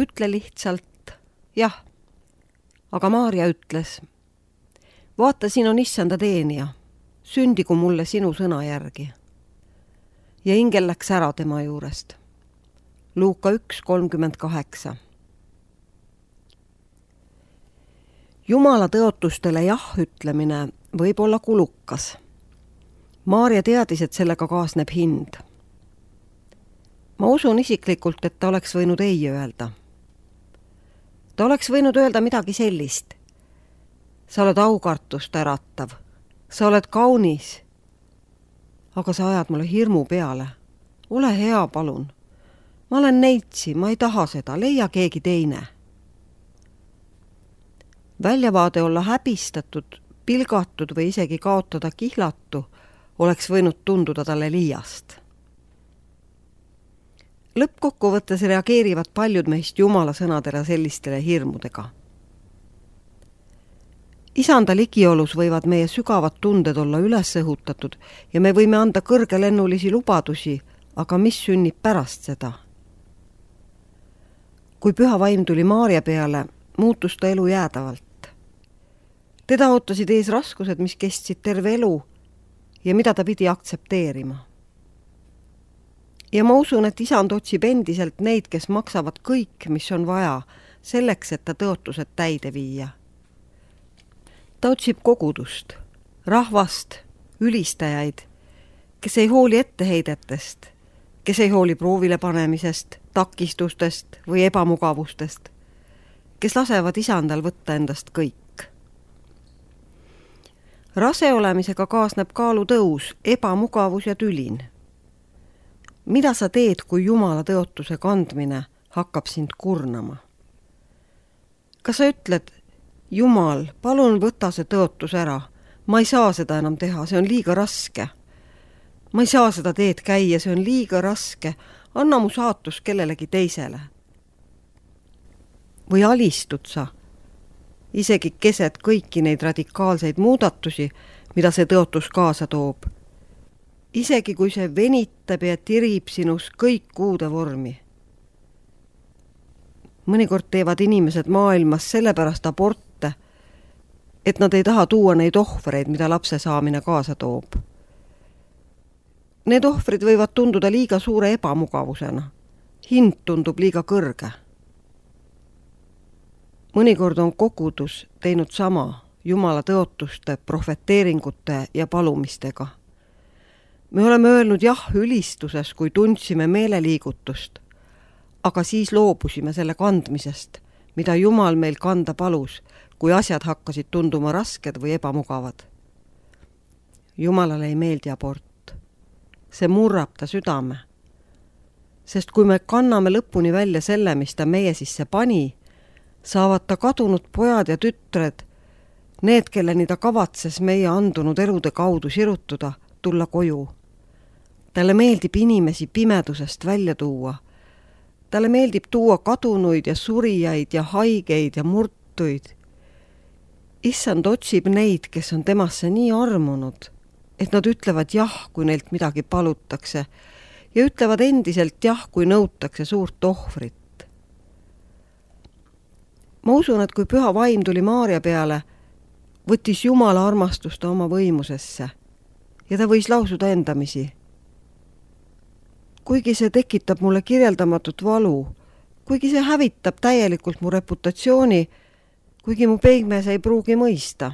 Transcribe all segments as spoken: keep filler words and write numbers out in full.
Ütle lihtsalt jah. Aga Maarja ütles, vaata, siin on issanda teenija, sündigu mulle sinu sõna järgi. Ja ingel läks ära tema juurest. Luuka üks kolmkümmend kaheksa. Jumala tõotustele jah ütlemine võib olla kulukas. Maarja teadis, et sellega kaasneb hind. Ma usun isiklikult, et ta oleks võinud ei öelda. Ta oleks võinud öelda midagi sellist. Sa oled aukartust äratav. Sa oled kaunis. Aga sa ajad mulle hirmu peale. Ole hea, palun. Ma olen neitsi, ma ei taha seda. Leia keegi teine. Väljavaade olla häbistatud, pilgatud või isegi kaotada kihlatu oleks võinud tunduda talle liiast. Lõppkokkuvõttes reageerivad paljud meist Jumala sõnadele sellistele hirmudega. Isanda ligiolus võivad meie sügavad tunded olla üles õhutatud ja me võime anda kõrgelennulisi lubadusi, aga mis sünnib pärast seda? Kui püha vaim tuli Maarja peale, muutus ta elu jäädavalt. Teda ootasid ees raskused, mis kestsid terve elu ja mida ta pidi aktsepteerima. Ja ma usun, et isand otsib endiselt neid, kes maksavad kõik, mis on vaja, selleks, et ta tõotused täide viia. Ta otsib kogudust, rahvast, ülistajaid, kes ei hooli etteheidetest, kes ei hooli proovile panemisest, takistustest või ebamugavustest, kes lasevad isandal võtta endast kõik. Rase olemisega kaasneb kaalu tõus, ebamugavus ja tülin. Mida sa teed, kui Jumala tõotuse kandmine hakkab sind kurnama? Kas sa ütled, Jumal, palun võta see tõotus ära. Ma ei saa seda enam teha, see on liiga raske. Ma ei saa seda teed käia, see on liiga raske. Anna mu saatus kellelegi teisele. Või alistud sa, isegi keset kõiki neid radikaalseid muudatusi, mida see tõotus kaasa toob. Isegi kui see venitab ja tirib sinus kõik uude vormi. Mõnikord teevad inimesed maailmas sellepärast aborte, et nad ei taha tuua neid ohvreid, mida lapse saamine kaasa toob. Need ohvrid võivad tunduda liiga suure ebamugavusena. Hind tundub liiga kõrge. Mõnikord on kogudus teinud sama Jumala tõotuste, profeteeringute ja palumistega. Me oleme öelnud jah ülistuses, kui tundsime meeleliigutust, aga siis loobusime selle kandmisest, mida Jumal meil kanda palus, kui asjad hakkasid tunduma rasked või ebamugavad. Jumalale ei meeldi abort. See murrab ta südame. Sest kui me kanname lõpuni välja selle, mis ta meie sisse pani, saavad ta kadunud pojad ja tütred, need, kelleni ta kavatses meie andunud elude kaudu sirutuda, tulla koju. Talle meeldib inimesi pimedusest välja tuua. Talle meeldib tuua kadunuid ja surijaid ja haigeid ja murtuid. Issand otsib neid, kes on temasse nii armunud, et nad ütlevad jah, kui neilt midagi palutakse ja ütlevad endiselt jah, kui nõutakse suurt ohvrit. Ma usun, et kui püha vaim tuli Maarja peale, võttis Jumala armastust oma võimusesse ja ta võis lausuda endamisi. Kuigi see tekitab mulle kirjeldamatut valu, kuigi see hävitab täielikult mu reputatsiooni, kuigi mu peigmees ei pruugi mõista.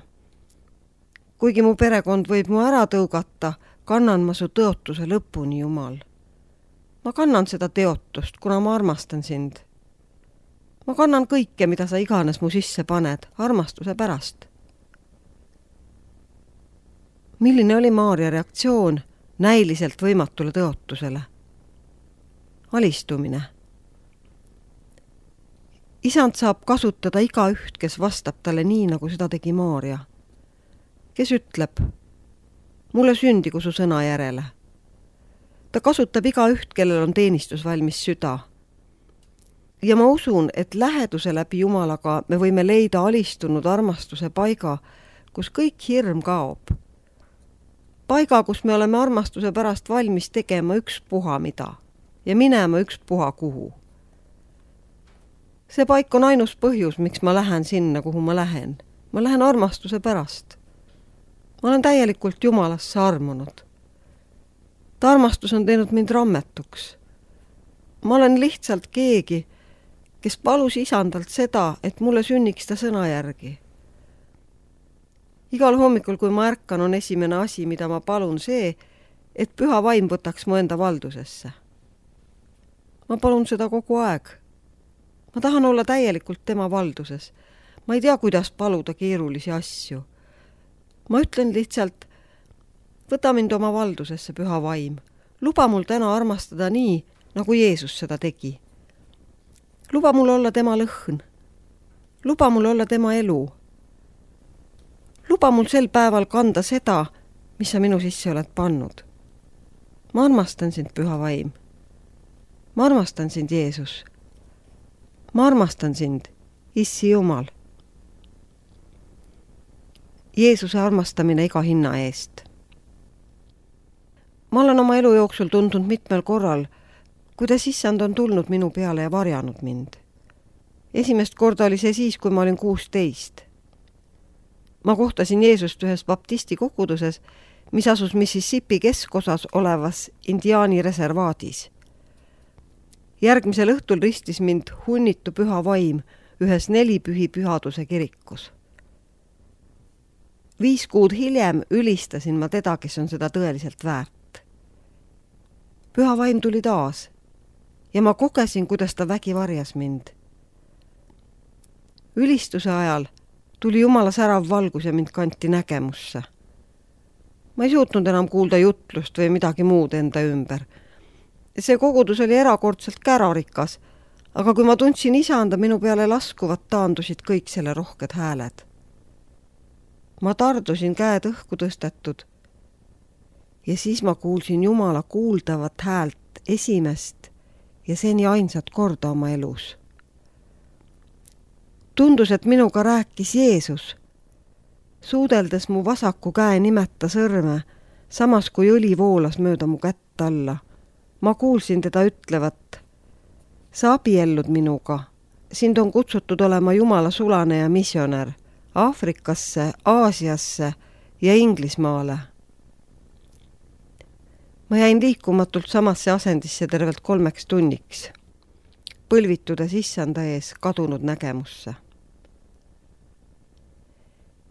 Kuigi mu perekond võib mu ära tõugata, kannan ma su tõotuse lõpuni, Jumal. Ma kannan seda teotust, kuna ma armastan sind. Ma kannan kõike, mida sa iganes mu sisse paned, armastuse pärast. Milline oli Maarja reaktsioon näiliselt võimatule tõotusele? Alistumine. Isand saab kasutada iga üht, kes vastab talle nii, nagu seda tegi Maarja. Kes ütleb, mulle sündigu su sõna järele. Ta kasutab iga üht, kellel on teenistus valmis süda. Ja ma usun, et läheduse läbi Jumalaga me võime leida alistunud armastuse paiga, kus kõik hirm kaob. Paiga, kus me oleme armastuse pärast valmis tegema üks puha mida ja minema üks puha kuhu. See paik on ainus põhjus, miks ma lähen sinna, kuhu ma lähen. Ma lähen armastuse pärast. Ma olen täielikult Jumalasse armunud. Ta armastus on teinud mind rammetuks. Ma olen lihtsalt keegi, kes palus isandalt seda, et mulle sünniks ta sõna järgi. Igal hommikul, kui ma ärkan, on esimene asi, mida ma palun see, et püha vaim võtaks mu enda valdusesse. Ma palun seda kogu aeg. Ma tahan olla täielikult tema valduses. Ma ei tea, kuidas paluda keerulisi asju. Ma ütlen lihtsalt, võta mind oma valdusesse, püha vaim. Luba mul täna armastada nii, nagu Jeesus seda tegi. Luba mul olla tema lõhn. Luba mul olla tema elu. Luba mul sel päeval kanda seda, mis sa minu sisse oled pannud. Ma armastan sind, püha vaim. Ma armastan sind, Jeesus. Ma armastan sind, Issi Jumal. Jeesuse armastamine iga hinna eest. Ma olen oma elu jooksul tundnud mitmel korral, kuidas issand on tulnud minu peale ja varjanud mind. Esimest korda oli see siis, kui ma olin kuusteist. Ma kohtasin Jeesust ühes baptisti koguduses, mis asus Mississippi keskosas olevas indiaani reservaadis. Järgmisel õhtul ristis mind hunnitu püha vaim ühes nelipühi pühaduse kirikus. Viis kuud hiljem ülistasin ma teda, kes on seda tõeliselt väärt. Püha vaim tuli taas ja ma kogesin, kuidas ta vägi varjas mind. Ülistuse ajal tuli Jumala särav valgus ja mind kanti nägemusse. Ma ei suutnud enam kuulda jutlust või midagi muud enda ümber. See kogudus oli erakordselt kärarikas, aga kui ma tundsin isanda minu peale laskuvat, taandusid kõik selle rohked hääled. Ma tardusin käed õhku tõstetud ja siis ma kuulsin Jumala kuuldavat häält esimest ja seni ainsat korda oma elus. Tundus, et minuga rääkis Jeesus, suudeldes mu vasaku käe nimeta sõrme, samas kui õli voolas mööda mu kätt alla. Ma kuulsin teda ütlevat, sa abiellud minuga, sind on kutsutud olema Jumala sulane ja missionär Aafrikasse, Aasiasse ja Inglismaale. Ma jäin liikumatult samasse asendisse tervelt kolmeks tunniks, põlvitudes issanda ees kadunud nägemusse.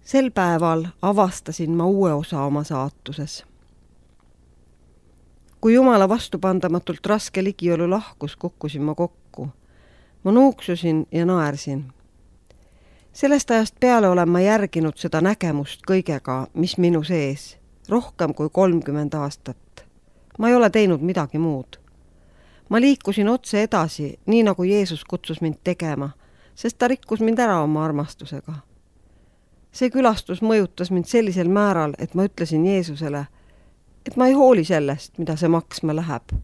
Sel päeval avastasin ma uue osa oma saatuses. Kui Jumala vastupandamatult raske ligiolu lahkus, kukkusin ma kokku. Ma nuuksusin ja naersin. Sellest ajast peale olen ma järginud seda nägemust kõigega, mis minu sees, rohkem kui kolmkümmend aastat. Ma ei ole teinud midagi muud. Ma liikusin otse edasi, nii nagu Jeesus kutsus mind tegema, sest ta rikkus mind ära oma armastusega. See külastus mõjutas mind sellisel määral, et ma ütlesin Jeesusele, et ma ei hooli sellest, mida see maksma läheb.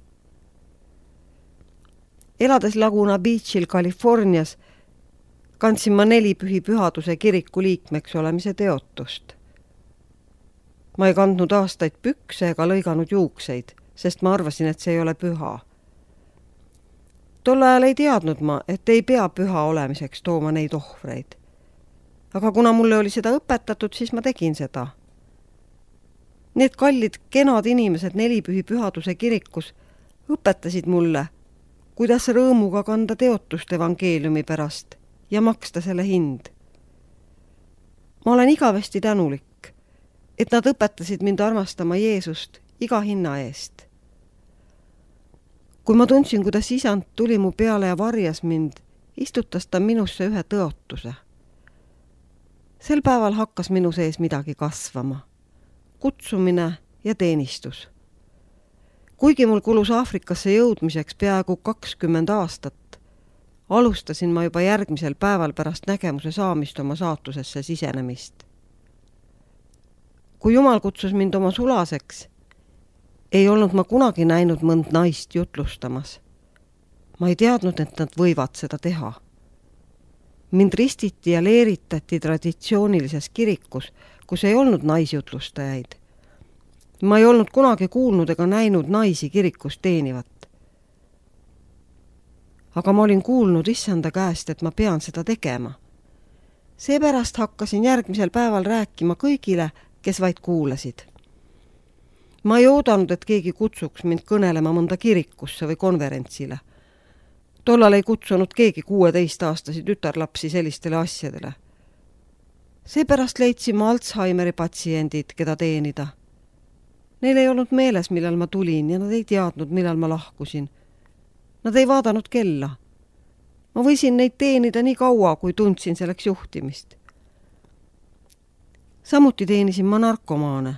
Elades Laguna Beachil, Californias, kandsin ma nelipühi pühaduse kiriku liikmeks olemise teotust. Ma ei kandnud aastaid pükse ega lõiganud juukseid, sest ma arvasin, et see ei ole püha. Tol ajal ei teadnud ma, et ei pea püha olemiseks tooma neid ohvreid. Aga kuna mulle oli seda õpetatud, siis ma tegin seda. Need kallid, kenad inimesed nelipühi pühaduse kirikus õpetasid mulle, kuidas rõõmuga kanda teotust evangeeliumi pärast ja maksta selle hind. Ma olen igavesti tänulik, et nad õpetasid mind armastama Jeesust iga hinna eest. Kui ma tundsin, kuidas isand tuli mu peale ja varjas mind, istutas ta minusse ühe tõotuse. Sel päeval hakkas minu sees midagi kasvama. Kutsumine ja teenistus. Kuigi mul kulus Aafrikasse jõudmiseks peaaegu kakskümmend aastat, alustasin ma juba järgmisel päeval pärast nägemuse saamist oma saatusesse sisenemist. Kui Jumal kutsus mind oma sulaseks, ei olnud ma kunagi näinud mõnd naist jutlustamas. Ma ei teadnud, et nad võivad seda teha. Mind ristiti ja leeritati traditsioonilises kirikus, kus ei olnud naisjutlustajaid. Ma ei olnud kunagi kuulnud ega näinud naisi kirikus teenivat. aga ma olin kuulnud issanda käest, et ma pean seda tegema. Seepärast hakkasin järgmisel päeval rääkima kõigile, kes vaid kuulasid. Ma ei oodanud, et keegi kutsuks mind kõnelema mõnda kirikusse või konverentsile. Tollal ei kutsunud keegi kuueteistaastasi tütarlapsi sellistele asjadele. Seepärast leidsin ma Alzheimeri patsiendid, keda teenida. Neil ei olnud meeles, millal ma tulin ja nad ei teadnud, millal ma lahkusin. Nad ei vaadanud kella. Ma võisin neid teenida nii kaua, kui tundsin selleks juhtimist. Samuti teenisin ma narkomaane.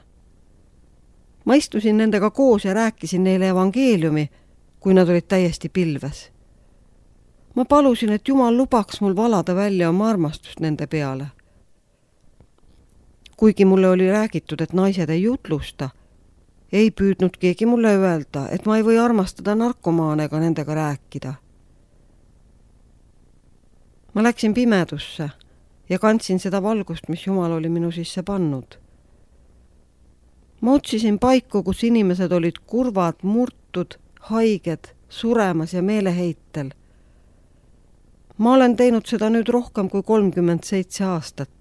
Ma istusin nendega koos ja rääkisin neile evangeeliumi, kui nad olid täiesti pilves. Ma palusin, et Jumal lubaks mul valada välja oma armastust nende peale. Kuigi mulle oli räägitud, et naised ei jutlusta, ei püüdnud keegi mulle öelda, et ma ei või armastada narkomaane ega nendega rääkida. Ma läksin pimedusse ja kandsin seda valgust, mis Jumal oli minu sisse pannud. Ma otsisin paiku, kus inimesed olid kurvad, murtud, haiged, suremas ja meeleheitel. Ma olen teinud seda nüüd rohkem kui kolmkümmend seitse aastat.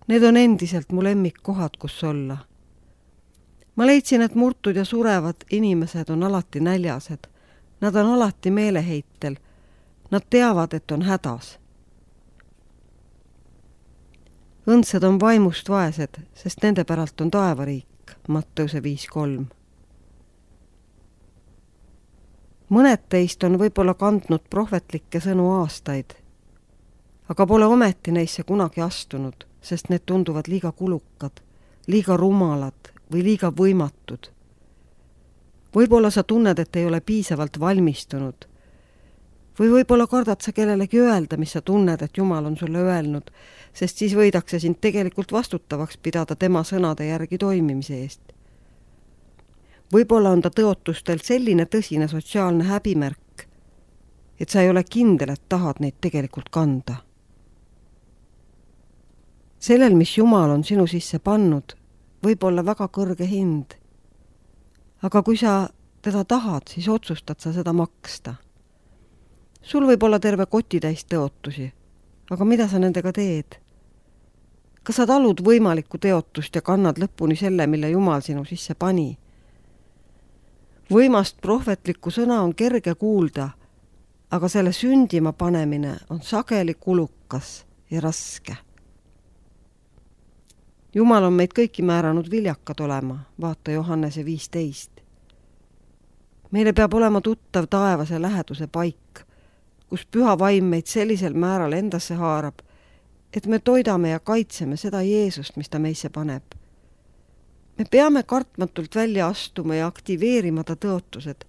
Need on endiselt mu lemmikkohad, kus olla. Ma leidsin, et murtud ja surevad inimesed on alati näljased. Nad on alati meeleheitel. Nad teavad, et on hädas. Õndsad on vaimust vaesed, sest nende päralt on taevariik, Matteuse viis kolm. Mõned teist on võib-olla kandnud prohvetlikke sõnu aastaid, aga pole ometi neisse kunagi astunud, sest need tunduvad liiga kulukad, liiga rumalad või liiga võimatud. Võib-olla sa tunned, et ei ole piisavalt valmistunud. Või võib-olla kardad sa kellelegi öelda, mis sa tunned, et Jumal on sulle öelnud, sest siis võidakse sind tegelikult vastutavaks pidada tema sõnade järgi toimimise eest. Võib-olla on ta tõotustel selline tõsine sotsiaalne häbimärk, et sa ei ole kindel, et tahad neid tegelikult kanda. Sellel, mis Jumal on sinu sisse pannud, võib olla väga kõrge hind. Aga kui sa teda tahad, siis otsustad sa seda maksta. Sul võib olla terve kotitäis tõotusi, aga mida sa nendega teed? Kas sa talud võimalikku teotust ja kannad lõpuni selle, mille Jumal sinu sisse pani? Võimast prohvetlikku sõna on kerge kuulda, aga selle sündima panemine on sageli kulukas ja raske. Jumal on meid kõiki määranud viljakad olema, vaata Johannese viisteist. Meile peab olema tuttav taevase läheduse paik, kus püha vaim meid sellisel määral endasse haarab, et me toidame ja kaitseme seda Jeesust, mis ta meisse paneb. Me peame kartmatult välja astuma ja aktiveerima ta tõotused.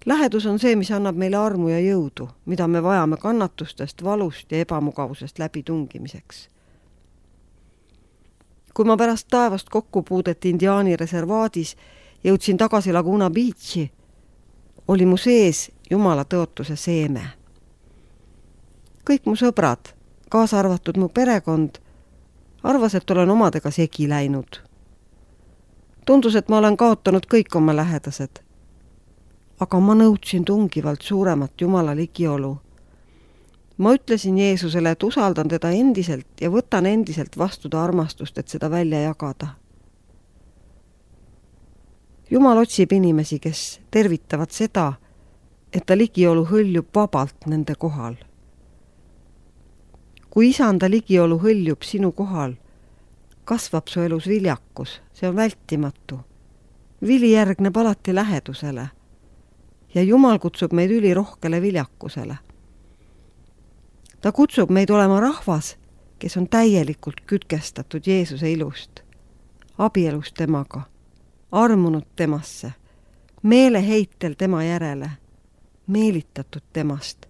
Lähedus on see, mis annab meile armu ja jõudu, mida me vajame kannatustest, valust ja ebamugavusest läbi tungimiseks. Kui ma pärast taevast kokkupuudet Indiaani reservaadis jõudsin tagasi Laguna Beachi, oli mu sees Jumala tõotuse seeme. Kõik mu sõbrad, kaasa arvatud mu perekond, arvas, et olen omadega segi läinud. Tundus, et ma olen kaotanud kõik oma lähedased. Aga ma nõudsin tungivalt suuremat Jumala ligiolu. Ma ütlesin Jeesusele, et usaldan teda endiselt ja võtan endiselt vastu ta armastust, et seda välja jagada. Jumal otsib inimesi, kes tervitavad seda, et ta ligiolu hõljub vabalt nende kohal. Kui isanda ligiolu hõljub sinu kohal, kasvab su elus viljakus, see on vältimatu. Vili järgneb alati lähedusele ja Jumal kutsub meid ülirohkele viljakusele. Ta kutsub meid olema rahvas, kes on täielikult kütkestatud Jeesuse ilust, abielus temaga, armunud temasse, meeleheitel tema järele, meelitatud temast,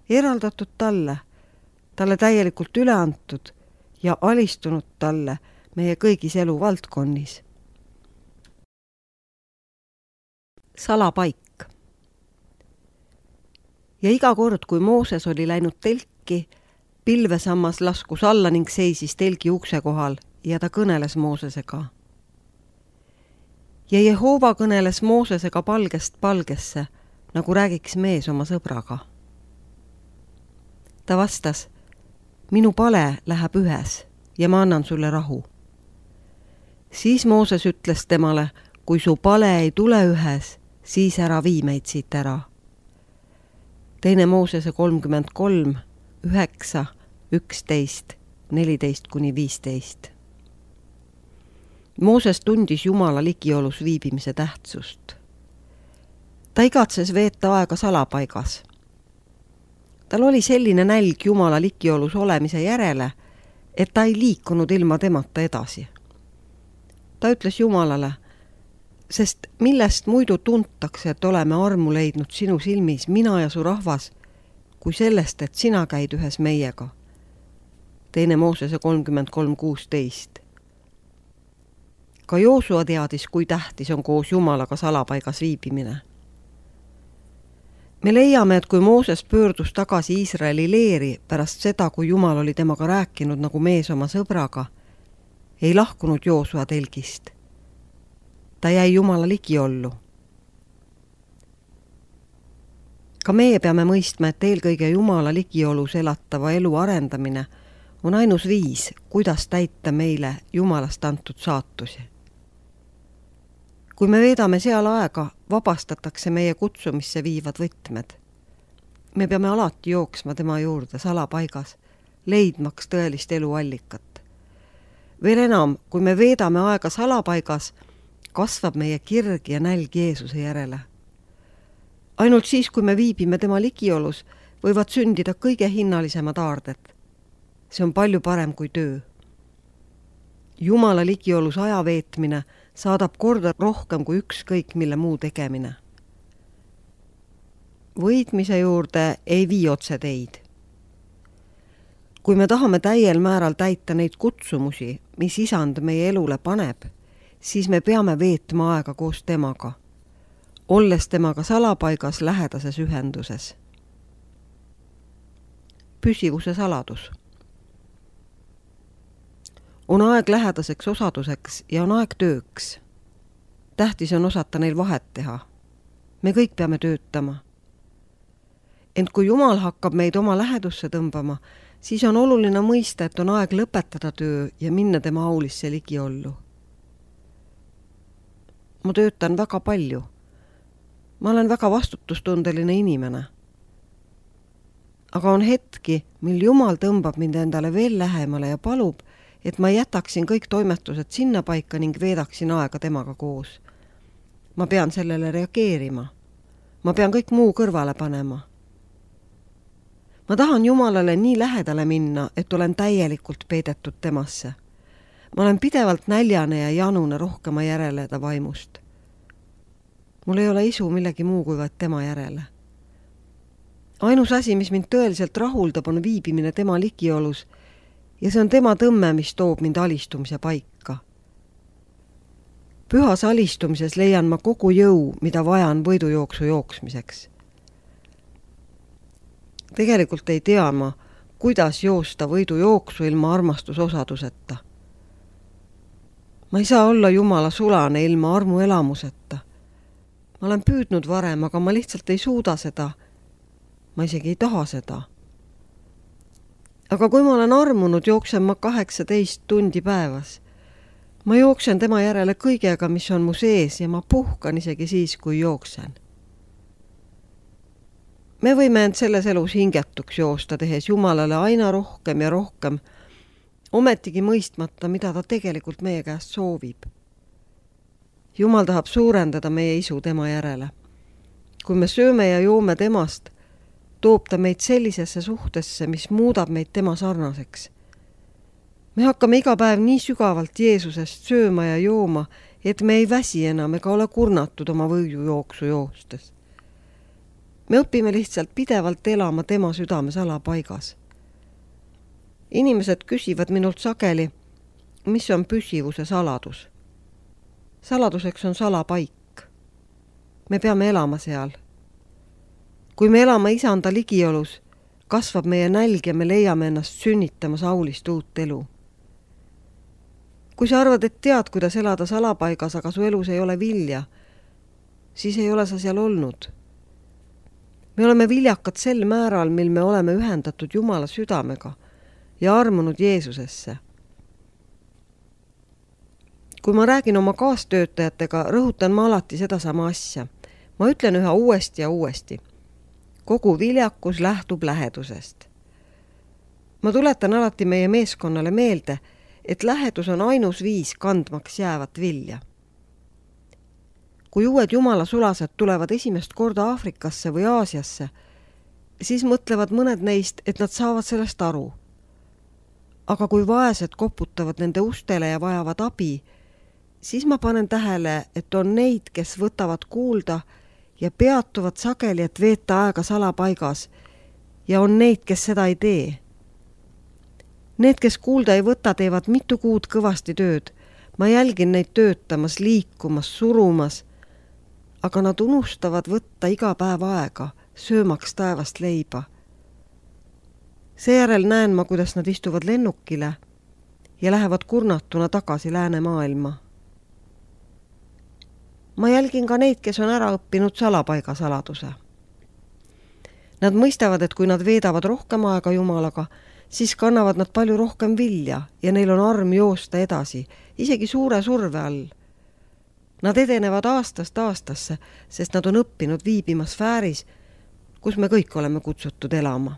eraldatud talle, talle täielikult üle antud ja alistunud talle meie kõigis elu valdkonnis. Salapaik. Ja iga kord, kui Mooses oli läinud telki, pilvesammas laskus alla ning seisis telgi ukse kohal ja ta kõneles Moosesega. Ja Jehova kõneles Moosesega palgest palgesse, nagu räägiks mees oma sõbraga. Ta vastas, minu pale läheb ühes ja ma annan sulle rahu. Siis Mooses ütles temale, kui su pale ei tule ühes, siis ära vii meid siit ära. Teine Moosese kolmkümmend kolm, üheksa, üksteist, neliteist kuni viisteist. Mooses tundis Jumala ligiolus viibimise tähtsust. Ta igatses veeta aega salapaigas. Tal oli selline nälg Jumala ligiolus olemise järele, et ta ei liikunud ilma temata edasi. Ta ütles Jumalale, sest millest muidu tuntakse, et oleme armu leidnud sinu silmis, mina ja su rahvas, kui sellest, et sina käid ühes meiega. Teine Moosese kolmkümmend kolm, kuusteist. Ka Joosua teadis, kui tähtis on koos Jumalaga salapaigas viibimine. Me leiame, et kui Mooses pöördus tagasi Iisraeli leeri pärast seda, kui Jumal oli temaga rääkinud nagu mees oma sõbraga, ei lahkunud Joosua telgist. Ta jäi Jumala ligiollu. Ka meie peame mõistma, et eelkõige Jumala ligiolus elatava elu arendamine on ainus viis, kuidas täita meile Jumalast antud saatusi. Kui me veedame seal aega, vabastatakse meie kutsumisse viivad võtmed. Me peame alati jooksma tema juurde salapaigas, leidmaks tõelist eluallikat. Veel enam, kui me veedame aega salapaigas, kasvab meie kirg ja nälg Jeesuse järele. Ainult siis, kui me viibime tema ligiolus, võivad sündida kõige hinnalisemad aarded. See on palju parem kui töö. Jumala ligiolus aja veetmine saadab korda rohkem kui ükskõik mille muu tegemine. Võitmise juurde ei vii otse teid. Kui me tahame täiel määral täita neid kutsumusi, mis Isand meie elule paneb, siis me peame veetma aega koos temaga, olles temaga salapaigas lähedases ühenduses. Püsivuse saladus. On aeg lähedaseks osaduseks ja on aeg tööks. Tähtis on osata neil vahet teha. Me kõik peame töötama. Ent kui Jumal hakkab meid oma lähedusse tõmbama, siis on oluline mõista, et on aeg lõpetada töö ja minna tema aulisse ligiollu. Ma töötan väga palju. Ma olen väga vastutustundeline inimene. Aga on hetki, mil Jumal tõmbab mind endale veel lähemale ja palub, et ma jätaksin kõik toimetused sinna paika ning veedaksin aega temaga koos. Ma pean sellele reageerima. Ma pean kõik muu kõrvale panema. Ma tahan Jumalale nii lähedale minna, et olen täielikult peidetud temasse. Ma olen pidevalt näljane ja janune rohkema järele ta vaimust. Mul ei ole isu millegi muu kui vaid tema järele. Ainus asi, mis mind tõeliselt rahuldab, on viibimine tema ligiolus ja see on tema tõmme, mis toob mind alistumise paika. Pühas alistumises leian ma kogu jõu, mida vajan võidujooksu jooksmiseks. Tegelikult ei tea ma, kuidas joosta võidujooksu ilma armastusosaduseta. Ma ei saa olla Jumala sulane ilma armu elamuseta. Ma olen püüdnud varem, aga ma lihtsalt ei suuda seda. Ma isegi ei taha seda. Aga kui ma olen armunud, jooksen ma kaheksateist tundi päevas. Ma jooksen tema järele kõigega, mis on mu sees ja ma puhkan isegi siis, kui jooksen. Me võime end selles elus hingetuks joosta, tehes Jumalale aina rohkem ja rohkem, ometigi mõistmata, mida ta tegelikult meie käest soovib. Jumal tahab suurendada meie isu tema järele. Kui me sööme ja joome temast, toob ta meid sellisesse suhtesse, mis muudab meid tema sarnaseks. Me hakkame iga päev nii sügavalt Jeesusest sööma ja jooma, et me ei väsi enam ega ole kurnatud oma võidujooksu joostes. Me õpime lihtsalt pidevalt elama tema südame salapaigas. Inimesed küsivad minult sageli, mis on püsivuse saladus. Saladuseks on salapaik. Me peame elama seal. Kui me elame Isanda ligiolus, kasvab meie nälg ja me leiame ennast sünnitamas aulist uut elu. Kui sa arvad, et tead, kuidas elada salapaigas, aga su elus ei ole vilja, siis ei ole sa seal olnud. Me oleme viljakad sel määral, mil me oleme ühendatud Jumala südamega ja armunud Jeesusesse. Kui ma räägin oma kaastöötajatega, rõhutan ma alati sedasama asja. Ma ütlen üha uuesti ja uuesti. Kogu viljakus lähtub lähedusest. Ma tuletan alati meie meeskonnale meelde, et lähedus on ainus viis kandmaks jäävat vilja. Kui uued jumala sulased tulevad esimest korda Aafrikasse või Aasiasse, siis mõtlevad mõned neist, et nad saavad sellest aru. Aga kui vaesed koputavad nende ustele ja vajavad abi, siis ma panen tähele, et on neid, kes võtavad kuulda ja peatuvad sageli, et veeta aega salapaigas, ja on neid, kes seda ei tee. Need, kes kuulda ei võta, teevad mitu kuud kõvasti tööd. Ma jälgin neid töötamas, liikumas, surumas, aga nad unustavad võtta iga päev aega, söömaks taevast leiba. Seejärel näen ma, kuidas nad istuvad lennukile ja lähevad kurnatuna tagasi läänemaailma. Ma jälgin ka neid, kes on ära õppinud salapaiga saladuse. Nad mõistavad, et kui nad veedavad rohkem aega Jumalaga, siis kannavad nad palju rohkem vilja ja neil on arm joosta edasi, isegi suure surve all. Nad edenevad aastast aastasse, sest nad on õppinud viibima sfääris, kus me kõik oleme kutsutud elama.